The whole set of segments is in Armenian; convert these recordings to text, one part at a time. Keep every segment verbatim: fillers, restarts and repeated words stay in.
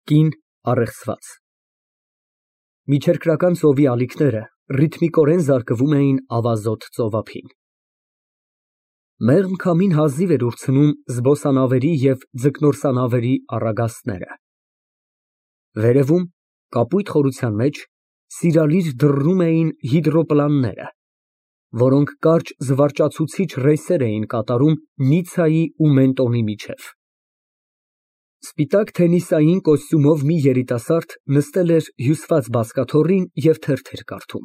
Կին առեղծված Միջերկրական ծովի ալիքները ռիթմիկորեն զարկվում էին ավազոտ ծովափին։ Մեղմ քամին հազիվ էր ուրցնում զբոսանավերի և ձկնորսանավերի առագաստները։ Վերևում, կապույտ խորության մեջ, սիրալիր դռռում էին հիդրոպլանները, որոնք կարճ զվարճացուցիչ ռեյսեր էին կատարում Նիցայի ու Մենտոնի միջև։ Սպիտակ թենիսային կոստյումով մի երիտասարդ նստել էր հյուսված բազկաթոռին և թերթ էր կարդում։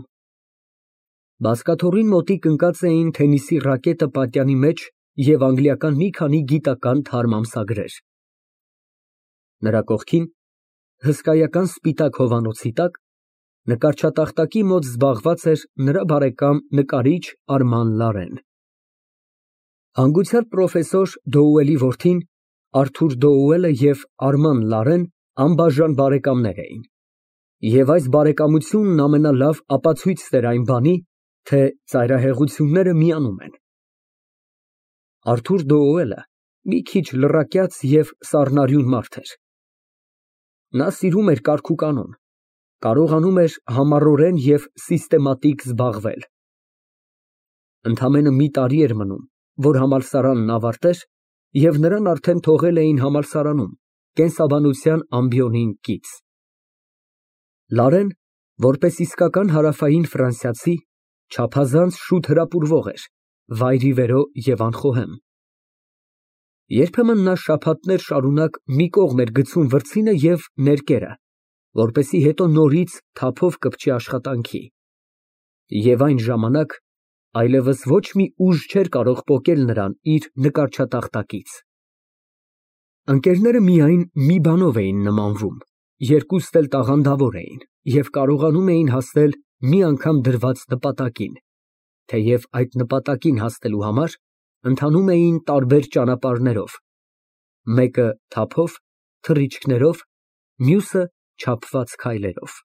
Բազկաթոռին մոտիկ ընկած էին թենիսի ռակետը պատյանի մեջ և անգլիական մի քանի գիտական թարմ ամսագրեր։ Նրա կողքին, հսկայական սպիտակ հովանոցի տակ, նկարչատախտակի մոտ զբաղված էր նրա բարեկամ նկարիչ Արման Լարեն։ Հանգուցյալ պրոֆեսոր Դոուելի որդին Արթուր Դոուելը և Արման Լարեն անբաժան բարեկամներ էին, և այս բարեկամությունն ամենալավ ապացույցն էր այն բանի, թե ծայրահեղությունները միանում են։ Արթուր Դոուելը մի քիչ լռակյաց և սառնարյուն մարդ էր։ Նա սիրում էր կարգուկանոն, կարողանում էր համառորեն և սիստեմատիկ զբաղվել։ Ընդամենը մի տարի էր մնում, որ համալսարանն ավարտեր, և նրան արդեն թողել էին համալսարանում կենսաբանության ամբիոնին կից։ Լարեն, որպես իսկական հարավային ֆրանսիացի, չափազանց շուտ հրապուրվող էր, վայրիվերո և անխոհեմ։ Երբեմն նա շաբաթներ շարունակ մի կողմ էր գցում վրձինը և ներկերը, որպեսզի հետո նորից թափով կպչի աշխատանքի, և այն ժամանակ այլևս ոչ մի ուժ չէր կարող պոկել նրան իր նկարչատախտակից։ Ընկերները միայն մի բանով էին նմանվում, երկուստ էլ տաղանդավոր էին և կարողանում էին հասնել մի անգամ դրված նպատակին, թեև այդ նպատակին հասնելու համար ընթանում էին տարբեր ճանապարհներով, մեկը թափով, թռիչքներով, մյուսը չափված քայլերով։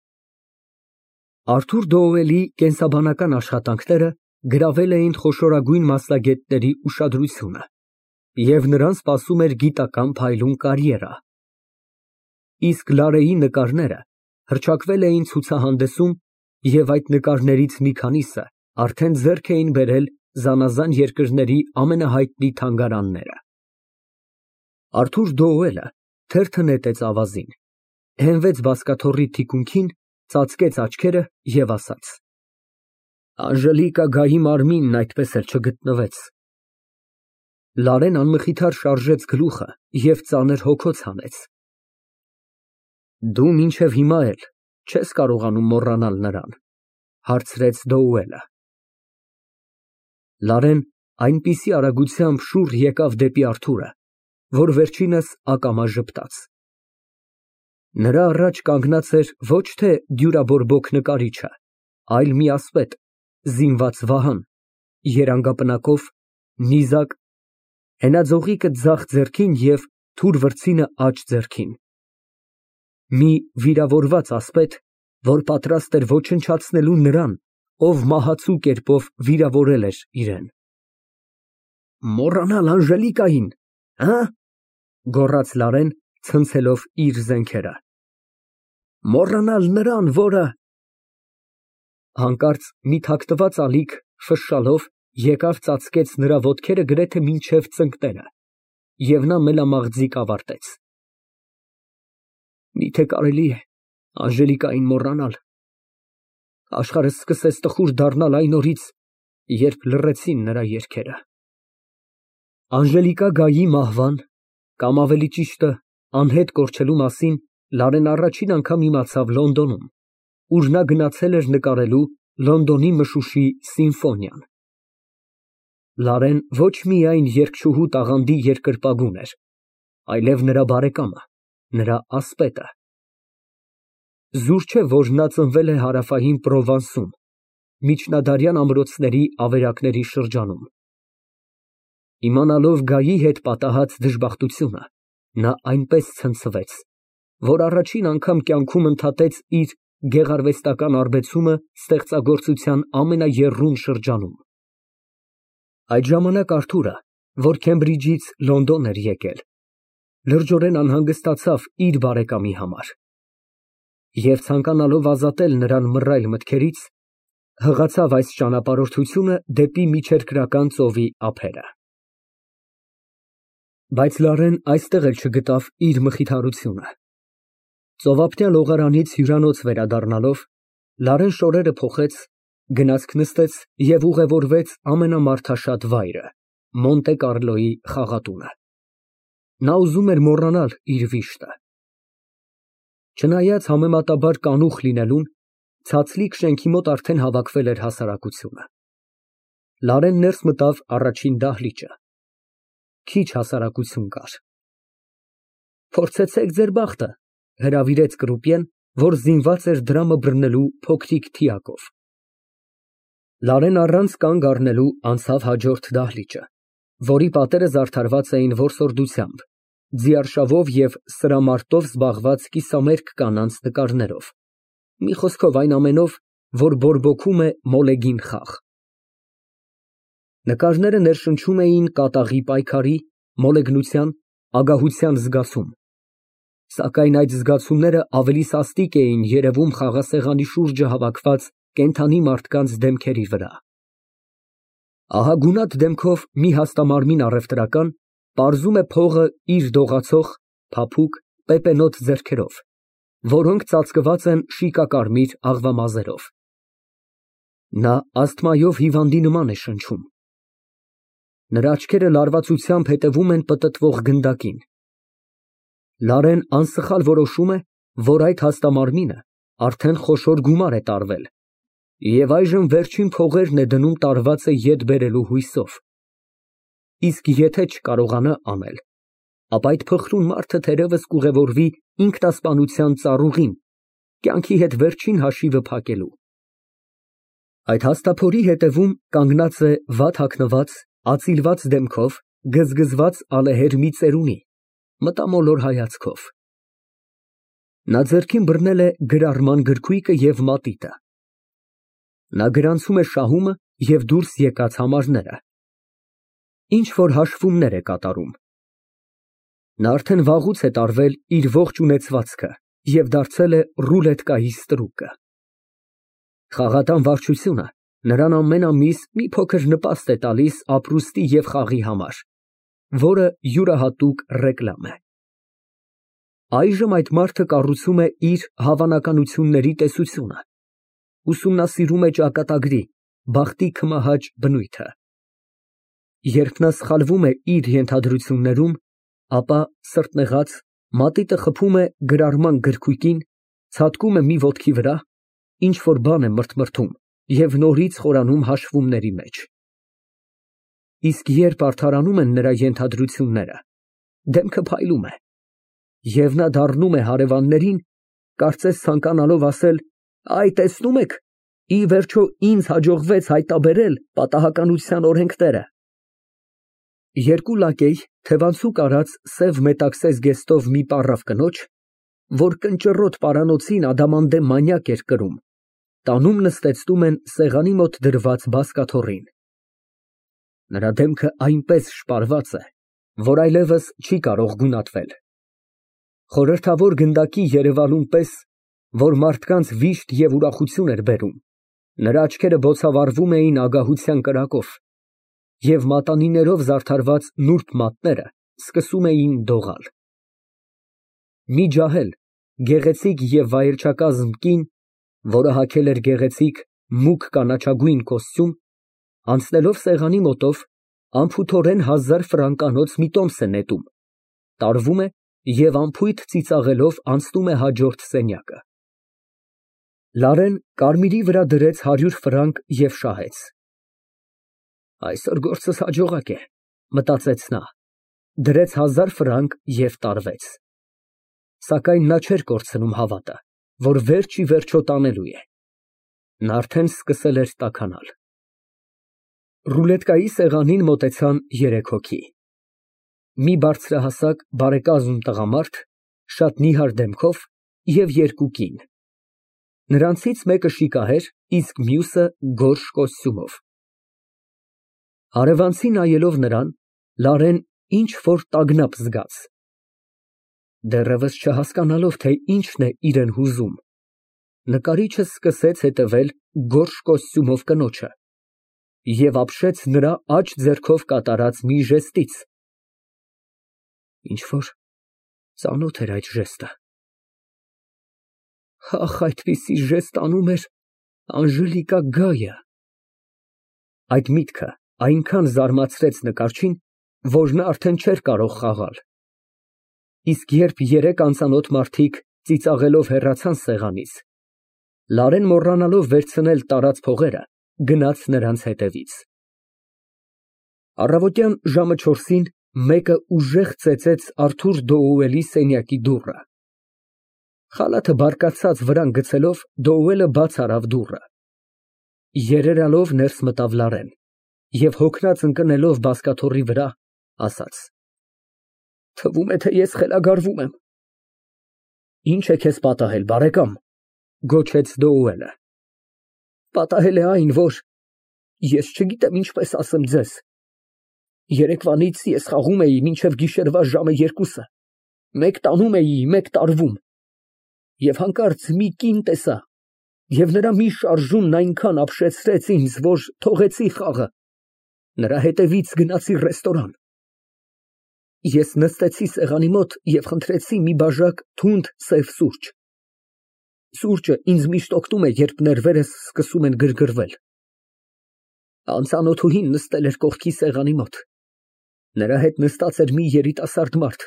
Արթուր Դոուելի կենսաբանական աշխատանքները գրավել էին խոշորագույն մասնագետների ուշադրությունը, և նրան սպասում էր գիտական փայլուն կարիերա։ Իսկ Լարեի նկարները հռչակվել էին ցուցահանդեսում, և այդ նկարներից մի քանիսը արդեն ձեռք էին բերել զանազան երկրների ամենահայտնի թանգարանները։ Արթուր Դոուելը թերթը նետեց ավազին, հենվեց բազկաթոռի թիկունքին, ծածկեց աչքերը և ասաց. Անժելիկա մարմինն այդպես էլ չգտնվեց։ Լարեն անմխիթար շարժեց գլուխը և ծանր հոգոց հանեց։ Դու մինչև հիմա էլ չես կարողանում մոռանալ նրան, հարցրեց Դոուելը։ Լարեն այնպիսի արագությամբ շուռ եկավ դեպի Արթուրը, որ վերջինս ակամա ժպտաց։ Նրա առաջ կանգնած էր ոչ թե դյուրաբորբոք նկարիչը, այլ մի ասպետ, զինված վահան, երանգապնակով, նիզակ, հենաձողիկը ձախ ձեռքին և թուր վրձինը աջ ձեռքին։ Մի վիրավորված ասպետ, որ պատրաստ էր ոչնչացնելու նրան, ով մահացու կերպով վիրավորել էր իրան։ Մոռանալ Անժելիկային, հը՞, գոռաց Լարեն, ցնցելով իր զենքերը։ Մոռանալ նրան, որը… Հանկարծ մի թաքնված ալիք ֆշշալով եկավ ծածկեց նրա ոտքերը գրեթե մինչև ծնկները, և նա մելամաղձիկ ավարտեց. Միթե կարելի է Անժելիկային մոռանալ… Աշխարհս սկսեց տխուր դառնալ այն օրից, երբ լռեցին նրա երգերը։ Անժելիկայի մահվան, կամ ավելի ճիշտը անհետ կորչելու մասին Լարեն առաջին անգամ իմացավ Լոնդոնում, ուր նա գնացել էր նկարելու Լոնդոնի մշուշի սիմֆոնիան։ Լարեն ոչ միայն երգչուհու տաղանդի երկրպագուն էր, այլև նրա բարեկամը, նրա ասպետը։ Զուր չէ, որ նա ծնվել է հարավային Պրովանսում, միջնադարյան ամրոցների ավերակների շրջանում։ Իմանալով Գայի հետ պատահած դժբախտությունը, նա այնպես ցնցվեց, որ առաջին անգամ կյանքում ընդհատեց իր գեղարվեստական արբեցումը ստեղծագործության ամենաեռուն շրջանում։ Այդ ժամանակ Արթուրը, որ Քեմբրիջից Լոնդոն էր եկել, լրջորեն անհանգստացավ իր բարեկամի համար և ցանկանալով ազատել նրան մռայլ մտքերից, հղացավ այս ճանապարհորդությունը դեպի միջերկրական ծովի ափերը։ Բայց Լարեն այստեղ էլ չգտավ իր մխիթարությունը։ Ծովափնյա լողարանից հյուրանոց վերադառնալով, Լարեն շորերը փոխեց, գնացք նստեց և ուղևորվեց ամենամարդաշատ վայրը՝ Մոնտե Կառլոյի խաղատունը։ Նա ուզում էր մոռանալ իր վիշտը։ Չնայած համեմատաբար կանուխ լինելուն, ցածլիկ շենքի մոտ արդեն հավաքվել էր հասարակությունը։ Լարեն ներս մտավ առաջին դահլիճը։ Քիչ հասարակություն կար։ Փորձեցեք ձեր բախտը, հրավիրեց կրուպիեն, որ զինված էր դրամը բռնելու փոքրիկ թիակով։ Լարեն առանց կանգ առնելու անցավ հաջորդ դահլիճը, որի պատերը զարդարված էին որսորդությամբ, ձիարշավով և սրամարտով զբաղված կիսամերկ կանանց նկարներով, մի խոսքով այն ամենով, որ բորբոքում է մոլեգին խաղ։ Նկարները ներշնչում էին կատաղի պայքարի, մոլեգնության, ագահության զգացում, սակայն այդ զգացումները ավելի սաստիկ էին երևում խաղասեղանի շուրջը հավաքված կենդանի մարդկանց դեմքերի վրա։ Ահա գունատ դեմքով մի հաստամարմին առևտրական պարզում է փողը իր դողացող, փափուկ, պեպենոտ ձեռքերով, որոնք ծածկված են շիկակարմիր աղվամազերով։ Նա ասթմայով հիվանդի նման է շնչում։ Նրա աչքերը լարվածությամբ հետևում են պտտվող գնդակին։ Լարեն անսխալ որոշում է, որ այդ հաստամարմինը արդեն խոշոր գումար է տարվել և այժմ վերջին փողերն է դնում տարվածը ետ բերելու հույսով։ Իսկ եթե չկարողանա անել, ապա այդ փխրուն մարդը թերևս կուղևորվի ինքնասպանության ծառուղին, կյանքի հետ վերջին հաշիվը փակելու։ Այդ հաստափորի հետևում կանգնած է վատ հագնված, ածիլված դեմքով, գզգզված ալեհեր մի ծերունի, մտամոլոր հայացքով։ Նա ձեռքին բռնել է գրառման գրքույկը և մատիտը։ Նա գրանցում է շահումը և դուրս եկած համարները։ Ինչ֊որ հաշվումներ է կատարում։ Նա արդեն վաղուց է տարվել իր ողջ ունեցվածքը և դարձել է ռուլետկայի ստրուկը։ Խաղատան վարչությունը նրան ամեն ամիս մի փոքր նպաստ է տալիս ապրուստի և խաղի համար, որը յուրահատուկ ռեկլամ է։ Այժմ այդ մարդը կառուցում է իր հավանականությունների տեսությունը, ուսումնասիրում է ճակատագրի, բախտի քմահաճ բնույթը։ Երբ նա սխալվում է իր ենթադրություններում, ապա, սրտնեղած, մատիտը խփում է գրառման գրքույկին, ցատկում է մի ոտքի վրա, ինչ֊որ բան է մրթմրթում և նորից խորանում հաշվումների մեջ։ Իսկ երբ արդարանում են նրա ենթադրությունները, դեմքը փայլում է, և նա դառնում է հարևաններին, կարծես ցանկանալով ասել. «Այ, տեսնում եք, ի վերջո ինձ հաջողվեց հայտնաբերել պատահականության օրենքները»։ Երկու լակեյ թևանցուկ արած սև մետաքսե զգեստով մի պառավ կնոջ, որ կնճռոտ պարանոցին ադամանդե մանյակ էր կրում, տանում նստեցնում են սեղանի մոտ դրված բազկաթոռին։ Նրա դեմքը այնպես շպարված է, որ այլևս չի կարող գունատվել։ Խորհրդավոր գնդակի երևալուն պես, որ մարդկանց վիշտ և ուրախություն էր բերում, նրա աչքերը բոցավառվում էին ագահության կրակով, և մատանիներով զարդարված նուրբ մատները սկսում էին դողալ։ Մի ջահել, գեղեցիկ և վայելչակազմ կին, որը հագել էր գեղեցիկ, մուգ կանաչագույն կոստյում, անցնելով սեղանի մոտով, անփութորեն հազար ֆրանկանոց մի տոմս է նետում, տարվում է և անփույթ ծիծաղելով անցնում է հաջորդ սենյակը։ Լարեն կարմիրի վրա դրեց հարյուր ֆրանկ և շահեց։ Այսօր գործս հաջողակ է, մտածեց նա, դրեց հազար ֆրանկ և տարվեց։ Սակայն նա չէր կորցնում հավատը, որ վերջ ի վերջո տանելու է։ Նա արդեն սկսել էր տաքանալ։ Ռուլետկայի սեղանին մոտեցան երեք հոգի։ Մի բարձրահասակ, բարեկազմ տղամարդ, շատ նիհար դեմքով և երկու կին։ Նրանցից մեկը շիկահեր, իսկ մյուսը գորշ կոստյումով։ Հարևանցի նայելով նրան, Լարեն ինչ֊որ տագնապ զգաց։ Դեռևս չհասկանալով, թե ինչն է իրեն հուզում, նկարիչը սկսեց հետևել գորշ կոստյումով կնոջը և ապշեց նրա աջ ձեռքով կատարած մի ժեստից։ Ինչ֊որ ծանոթ էր այդ ժեստը։ Ահ, այդպիսի ժեստ անում էր Անժելիկա Գայը։ Այդ միտքը այնքան զարմացրեց նկարչին, որ նա արդեն չէր կարող խաղալ։ Իսկ երբ երեք անծանոթ մարդիկ ծիծաղելով հեռացան սեղանից, Լարեն, մոռանալով վերցնել տարած փողերը, գնաց նրանց հետևից։ Առավոտյան ժամը չորսին մեկը ուժեղ ծեծեց Արթուր Դոուելի սենյակի դուռը։ Խալաթը բարկացած վրան գցելով, Դոուելը բաց արավ դուռը։ Երերալով ներս մտավ Լարեն և հոգնած ընկնելով բազկաթոռի վրա, ասաց. Թվում է, թե ես խելագարվում եմ։ Ինչ է քեզ պատահել, բարեկամ, գոչեց Դոուելը։ Պատահել է այն, որ ես չգիտեմ ինչպես ասեմ ձեզ։ Երեկվանից ես խաղում էի մինչև գիշերվա ժամը երկուսը, մեկ տանում էի, մեկ տարվում, և հանկարծ մի կին տեսա, և նրա մի շարժումն այնքան ապշեցրեց ինձ, որ թողեցի խաղը, նրա հետևից գնացի ռեստորան։ Ես նստեցի սեղանի մոտ և խնդրեցի մի բաժակ թունդ սև սուրճ։ Սուրճը ինձ միշտ օգնում է, երբ ներվերս սկսում են գրգռվել։ Անծանոթուհին նստել էր կողքի սեղանի մոտ։ Նրա հետ նստած էր մի երիտասարդ մարդ,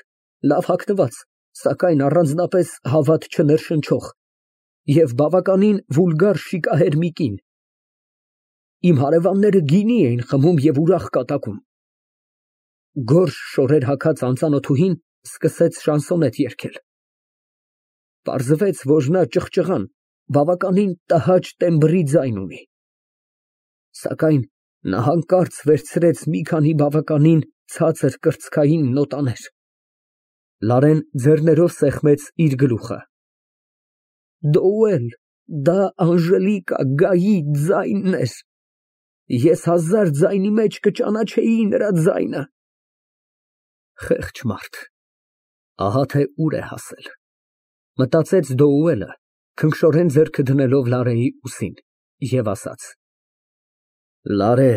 լավ հագնված, սակայն առանձնապես հավատ չներշնչող և բավականին վուլգար շիկահեր մի կին։ Իմ հարևանները գինի էին խմում և ուրախ կատակում։ Գորշ շորեր հագած անծանոթուհին սկսեց շանսոնետ երգել։ Պարզվեց, որ նա ճղճղան, բավականին տհաճ տեմբրի ձայն ունի։ Սակայն նա հանկարծ վերցրեց մի քանի բավականին ցածր կրծքային նոտաներ։ Լարեն ձեռներով սեղմեց իր գլուխը։ Դոուել, դա Անժելիկա Գայի ձայնն էր։ Ես հազար ձայնի մեջ կճանաչեի նրա ձայնը։ Խեղճ մարդ, ահա թե ուր է հասել, մտածեց Դոուելը, քնքշորեն ձեռքը դնելով Լարեի ուսին, և ասաց. Լարե,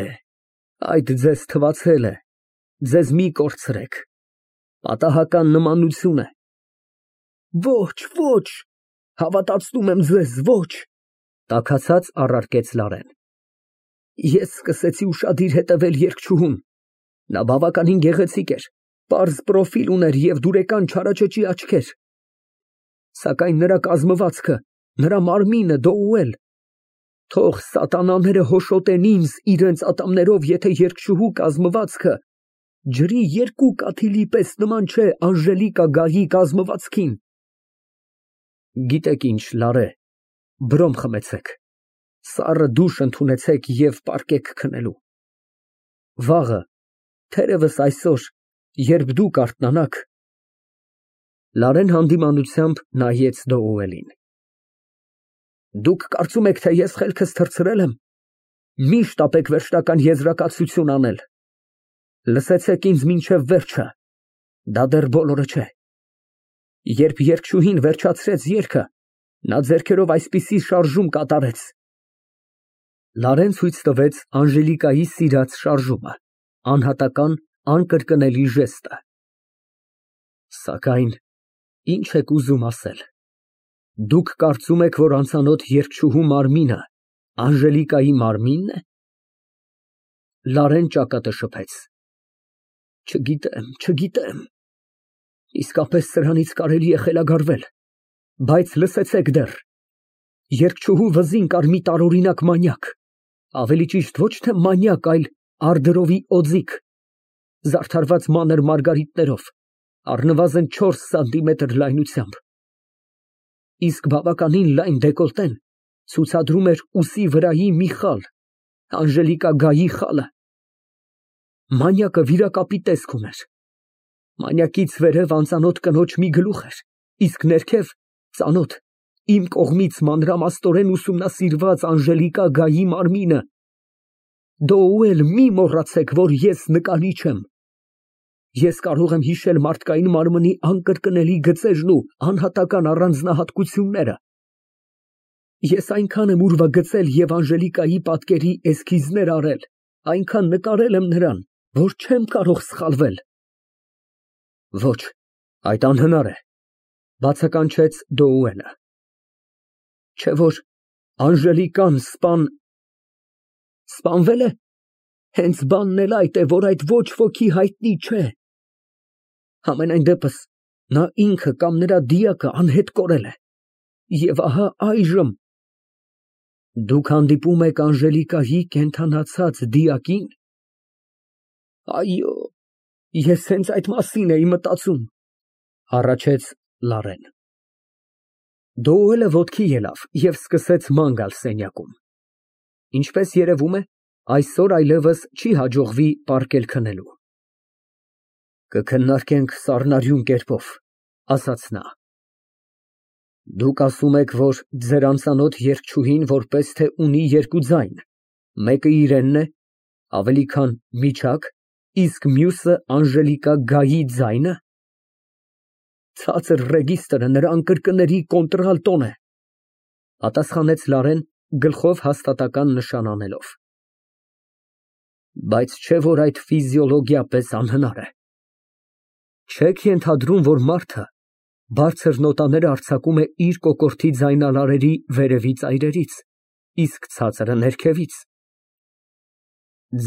այդ ձեզ թվացել է, ձեզ մի կորցրեք, պատահական նմանություն է։ Ոչ, ոչ, հավատացնում եմ ձեզ, ոչ, տաքացած առարկեց Լարեն։ Ես սկսեցի ուշադիր հետևել երգչուհուն, նա բավականին գեղեցիկ էր, պարզ պրոֆիլ ուներ և դուրեկան չարաճճի աչքեր։ Սակայն նրա կազմվածքը, նրա մարմինը, Դոուել, թող սատանաները հոշոտեն ինձ իրենց ատամներով, եթե երգչուհու կազմվածքը ջրի երկու կաթիլի պես նման չէ Անժելիկա Գայի կազմվածքին։ Գիտեք ինչ, Լարե, բրոմ խմեցեք, սառը դուշ ընդունեցեք և պառկեք քնելու։ Վաղը, թերևս այսօր, երբ դուք արթնանաք… Լարեն հանդիմանությամբ նայեց Դոուելին։ Դուք կարծում եք, թե ես խելքս թռցրել եմ։ Մի շտապեք վերջնական եզրակացություն անել։ Լսեցեք ինձ մինչև վերջը, դա դեռ բոլորը չէ։ Երբ երգչուհին վերջացրեց երգը, նա ձեռքերով այսպիսի շարժում կատարեց։ Լարեն ցույց տվեց Անժելիկայի սիրած շարժումը, անհատական, անկրկնելի ժեստը։ Սակայն ինչ եք ուզում ասել։ Դուք կարծում եք, որ անծանոթ երգչուհու մարմինը Անժելիկայի մարմինն է։ Լարեն ճակատը շփեց։ Չգիտեմ, չգիտեմ։ Իսկապես սրանից կարելի է խելագարվել, բայց լսեցեք դեռ։ Երգչուհու վզին կար մի տարօրինակ մանյակ, ավելի ճիշտ ոչ թե մանյակ, այլ արդրովի օձիք, զարդարված մանր մարգարիտներով, առնվազն չորս սանտիմետր լայնությամբ։ Իսկ բավականին լայն դեկոլտեն ցուցադրում էր ուսի վրայի մի խալ, Անժելիկա Գայի խալը։ Մանյակը վիրակապի տեսք ուներ։ Մանյակից վերև անծանոթ կնոջ մի գլուխ էր, իսկ ներքև ծանոթ, իմ կողմից մանրամասնորեն ուսումնասիրված Անժելիկա Գայի մարմինը։ Դոուել, մի մոռացեք, որ ես նկարիչ եմ։ Ես կարող եմ հիշել մարդկային մարմնի անկրկնելի գծերն ու անհատական առանձնահատկությունները։ Ես այնքան եմ ուրվագծել և Անժելիկայի պատկերի էսքիզներ արել, այնքան նկարել եմ նրան, որ չեմ կարող սխալվել։ Ոչ, այդ անհնար է, բացականչեց Դոուելը։ Չէ՞ որ Անժելիկան սպան… սպանվե՞լ է։ Հենց բանն էլ այդ է, որ այդ ոչ ոքի հայտնի չէ։ Համենայն դեպս, նա ինքը կամ նրա դիակը անհետ կորել է։ Եվ ահա այժմ… Դուք հանդիպում եք Անժելիկայի կենդանացած դիակի՞ն։ Այո, ես հենց այդ մասին էի մտածում, հառաչեց Լարեն։ Դոուելը ոտքի ելավ և սկսեց ման գալ սենյակում։ Ինչպես երևում է, այսօր այլևս չի հաջողվի պառկել քնելու։ Կքննարկենք սառնարյուն կերպով, ասաց նա։ Դուք ասում եք, որ ձեր անծանոթ երգչուհին որպես թե ունի երկու ձայն, մեկը իրենն է, ավելի քան միջակ, իսկ մյուսը Անժելիկայի ձայնը։ Ցածր ռեգիստրը նրա անկրկների կոնտրալտոն է, պատասխանեց Լարեն, գլխով հաստատական նշան անելով։ Բայց չէ՞ որ այդ ֆիզիոլոգիապես անհնար է։ Չեք ենթադրում, որ մարդը բարձր նոտաները արձակում է իր կոկորդի ձայնալարերի վերևի ծայրերից, իսկ ցածրը ներքևից։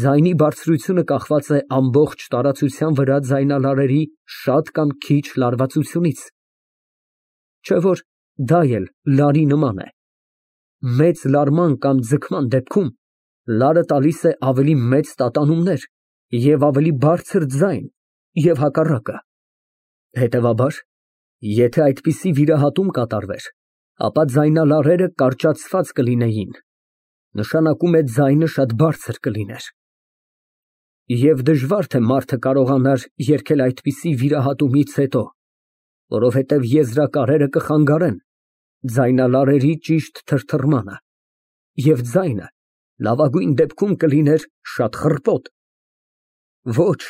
Ձայնի բարձրությունը կախված է ամբողջ տարածության վրա ձայնալարերի շատ կամ քիչ լարվածությունից։ Չէ՞ որ դա էլ լարի նման է։ Մեծ լարման կամ ձգման դեպքում լարը տալիս է ավելի մեծ տատանումներ և ավելի բարձր ձայն և հակառակը։ Հետևաբար, եթե այդպիսի վիրահատում կատարվեր, ապա ձայնալարերը կարճացված կլինեին, նշանակում է ձայնը շատ բարձր կլիներ։ Եվ դժվար թե մարդը կարողանար երգել այդպիսի վիրահատումից հետո, որովհետև եզրակարերը կխանգարեն ձայնալարերի ճիշտ թրթռմանը, և ձայնը լավագույն դեպքում կլիներ շատ խռպոտ։ Ոչ,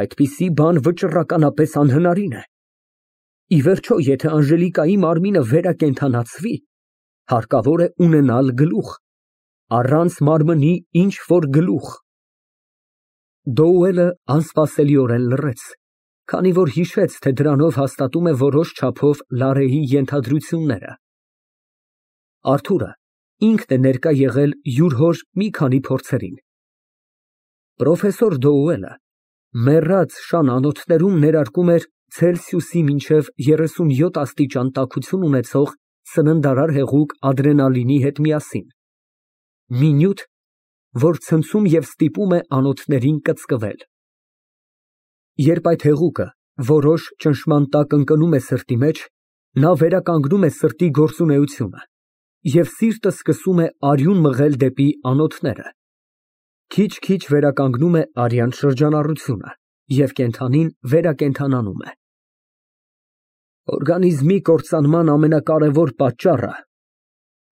այդպիսի բան վճռականապես անհնարին է։ Ի վերջո, եթե Անժելիկայի մարմինը վերակենդանացվի, հարկավոր է ունենալ գլուխ, առանց մարմնի ինչ֊որ գլուխ։ Դոուելը անսպասելիորեն լռեց, քանի որ հիշեց, թե դրանով հաստատում է որոշ չափով Լարեի ենթադրությունները։ Արթուրը ինքն է ներկա եղել յուր հոր մի քանի փորձերին։ Պրոֆեսոր Դոուելը մեռած շան անոթներում ներարկում էր Ցելսիուսի մինչև երեսունյոթ աստիճան տաքություն ունեցող սննդարար հեղուկ ադրենալինի հետ միասին, մի նյութ, որ ցնցում և ստիպում է անոթներին կծկվել։ Երբ այդ հեղուկը որոշ ճնշման տակ ընկնում է սրտի մեջ, նա վերականգնում է սրտի գործունեությունը, և սիրտը սկսում է արյուն մղել դեպի անոթները։ Քիչ֊քիչ վերականգնում է արյան շրջանառությունը, և կենդանին վերակենդանանում է։ Օրգանիզմի կործանման ամենակարևոր պատճառը,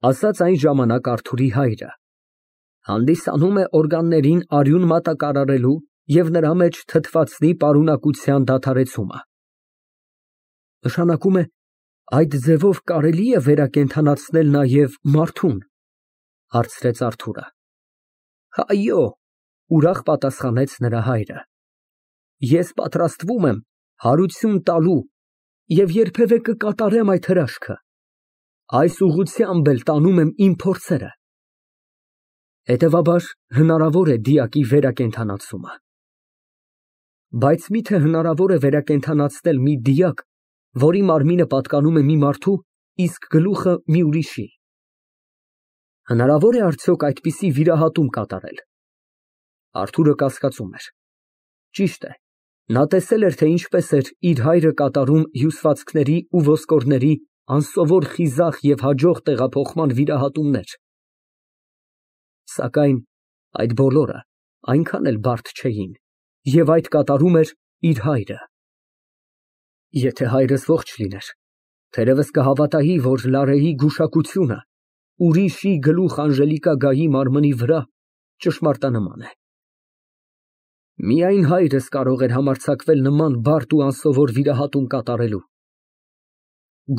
ասաց այն ժամանակ Արթուրի հայրը, հանդիսանում է օրգաններին արյուն մատակարարելու և նրա մեջ թթվածնի պարունակության դադարեցումը։ Նշանակում է, այդ ձևով կարելի է վերակենդանացնել նաև մարդուն, հարցրեց Արթուրը։ Այո, ուրախ պատասխանեց նրա հայրը։ Ես պատրաստվում եմ հարություն տալու և երբևէ կկատարեմ այդ հրաշքը։ Այս ուղղությամբ էլ տանում եմ իմ փորձերը։ Հետևաբար, հնարավոր է դիակի վերակենդանացումը։ Բայց մի՞թե հնարավոր է վերակենդանացնել մի դիակ, որի մարմինը պատկանում է մի մարդու, իսկ գլուխը մի ուրիշի։ Հնարավոր է արդյոք այդպիսի վիրահատում կատարել։ Արթուրը կասկածում էր։ Ճիշտ է, նա տեսել էր, թե ինչպես էր իր հայրը կատարում հյուսվածքների ու ոսկորների անսովոր խիզախ և հաջող տեղափոխման վիրահատումներ։ Սակայն այդ բոլորը այնքան էլ բարդ չէին, և այդ կատարում էր իր հայրը։ Եթե հայրս ողջ լիներ, թերևս կհավատայի, որ Լարեի գուշակությունը ուրիշի գլուխ Անժելիկայի մարմնի վրա ճշմարտանման է։ Միայն հայրս կարող էր համարձակվել նման բարդ ու անսովոր վիրահատում կատարելու։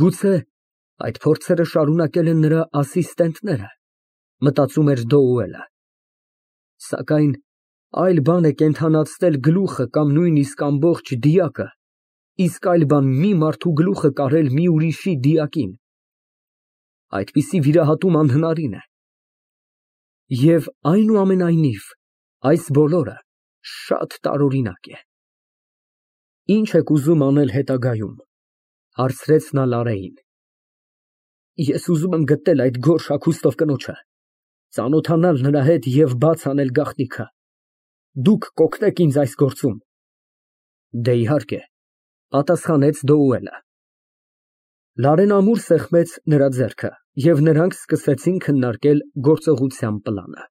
Գուցե այդ փորձերը շարունակել են նրա ասիստենտները, մտածում էր Դոուելը։ Սակայն այլ բան է կենդանացնել գլուխը կամ նույնիսկ ամբողջ դիակը, իսկ այլ բան մի մարդու գլուխը կարել մի ուրիշի դիակին։ Այդպիսի վիրահատում անհնարին է։ Եվ այնուամենայնիվ այս բոլորը շատ տարօրինակ է։ Ի՞նչ եք ուզում անել հետագայում, հարցրեց նա Լարեին։ Ես ուզում եմ գտնել այդ գորշ հագուստով կնոջը, ծանոթանալ նրա հետ և բաց անել գաղտնիքը։ Դուք կօգնեք ինձ այս գործում։ Դե, իհարկե, պատասխանեց Դոուելը։ Լարեն ամուր սեղմեց նրա ձեռքը, և նրանք սկսեցին քննարկել գործողության պլանը։